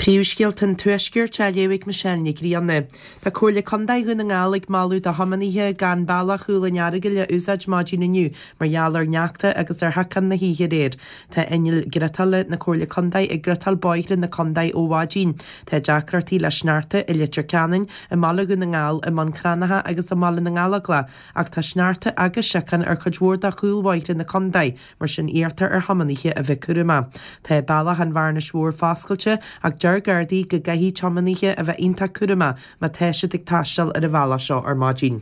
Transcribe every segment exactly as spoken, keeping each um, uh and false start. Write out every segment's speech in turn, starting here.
Príomhscéalta an Tuaiscirt á léamh ag Michelle Nic Grianna. Tá Comhairle Contae Dhún na nGall ag moladh do thiománaithe gan bealach Chúil an Earagail a úsáid maidin inniu mar gheall ar shneachta agus ar shiocán na hoíche aréir. Tá inneall griotála na Comhairle Contae ag griotáil bóithre na contae ó mhaidin. Tá deacrachtaí le sneachta i Leitir Ceanainn, i mBaile Dhún na nGall, i mBun Cranncha agus i mBaile na nGallóglach, ach tá sneachta agus siocán ar chuid mhór de chúlbhóithre na contae, mar sin iarrtar ar thiománaithe a bheith cúramach. Tá bealach an Bhearnais Mhóir foscailte ach deir Gardaí go gcaithfidh tiománaithe a bheith iontach cúramach má tá siad ag taisteal ar an bhealach seo ar maidin.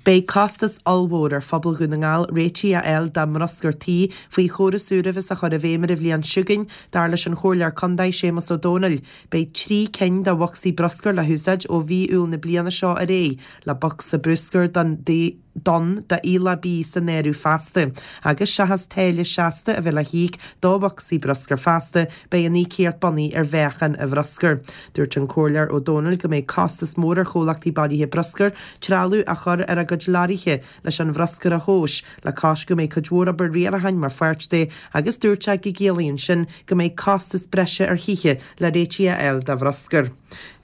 Beidh costas ollmhór ar phobal Dhún na nGall réitigh a fháil dá mbruscar tí faoi chóras úr a bheas á chur i bhfeidhm ar an bhliain seo chugainn, dar leis an Chomhairleoir Contae Séamus Ó Domhnaill. Beidh trí cinn de bhocsaí bruscair le húsáid ó mhí Iúil na bliana seo ar aghaidh, le bocsa bruscair don donn d'aoileach bídh san áireamh feasta, agus seachas táille seasta a bheith le híoc do bhocsaí bruscair feasta, beidh an íocaíocht bunaithe ar mheáchan an bhruscair. Dúirt an Comhairleoir Ó Domhnaill go mbeidh costas mór ar chomhlachtaí bailithe bruscair trealamh a chur ar a gcuid leoraithe leis an bhruscar a thomhas, le cois go mbeidh cuid mhór obair riaracháin mar pháirt de, agus dúirt sé go gciallaíonn sin go mbeidh costas breise ar thithe le réitigh a fháil do bhruscar.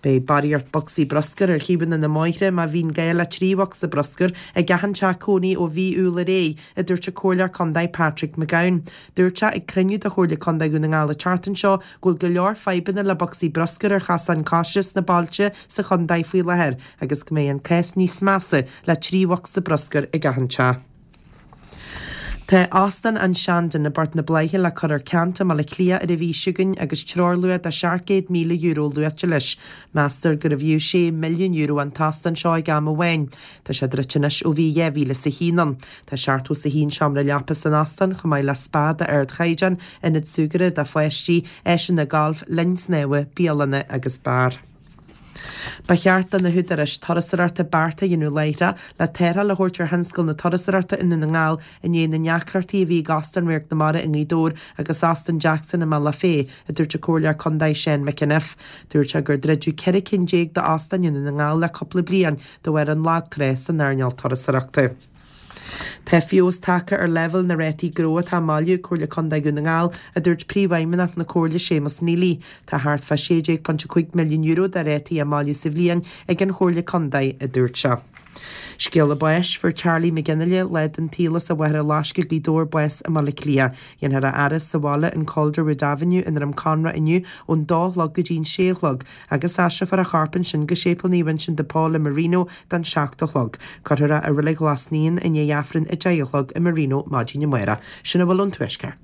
Beidh barraíocht bocsaí bruscair ar thaobhanna na mbóithre má bhíonn gá le trí bhocsa bruscair ag achan teach cónaí ó mhí Iúil ar aghaidh, a dúirt an Comhairleoir Contae Patrick McGowan. Dúirt sé ag cruinniú de Chomhairle Contae Dhún na nGall an tseachtain seo go bhfuil go leor fadhbanna le bocsaí bruscair ar chasáin coise sna bailte sa chontae faoi láthair agus go mbeidh an cás níos measa le trí bhocsa bruscair ag achan teach. Tá Óstán an Shandon i bPort na Bláiche le cur ar ceant i mBaile Átha Cliath ar an mhí seo chugainn agus treoirluach de seacht gcéad míle euro luaite leis. Meastar gurbh fhiú sé milliún euro an t-óstán seo ag am amháin. Tá sé druidte anois ó bhí dhá mhíle is a haon ann. Tá seachtó is a haon seomra leapa san óstán chomh maith le spa d'ardchaighdeán, ionad súgartha do pháistí, áiseanna gailf, linn snámha, bialanna agus beár. Ba cheart do na húdaráis turasóireachta bearta a dhéanamh láithreach le tarrtháil a thabhairt ar thionscal na turasóireachta i nDún na nGall i ndiaidh na ndeacrachtaí a bhí ag Óstán Radharc na Mara i nGaoth Dobhair agus Óstán Jackson i mBealach Féich, a dúirt an Comhairleoir Contae Seán McEniff. Dúirt sé gur druideadh ceithre cinn déag d'óstáin i nDún na nGall le cúpla bliain de bharr an lag trá san earnáil turasóireachta. Tá feabhas tagtha ar leibhéal na rátaí gnó atá á mbailiú ag Comhairle Contae Dhún na nGall, a dúirt Príomhfheidhmeannach na Comhairle Séamus Neely. Tá thart fá sé déag ponc a cúig milliún euro de rátaí á mbailiú sa bhliain ag an Chomhairle Contae, a dúirt sé. Scéala báis, fuair Charlie McGinley, leaid den tsaol as an Mhachaire Loiscthe, Gaoth Dobhair, bás i mBaile Átha Cliath. Dhéanfar a fhaire sa bhaile in Calderwood Avenue i nDroim Conrach inniu ón dó a chlog go dtí an sé a chlog agus aistreofar a chorp ansin go Séipéal Naomh Uinseann de Pól i Marino don seacht a chlog. Cuirfear é i Reilig Ghlas Naíon i ndiaidh Aifreann a deich a chlog i Marino maidin amárach. Sin a bhfuil ón Tuaisceart.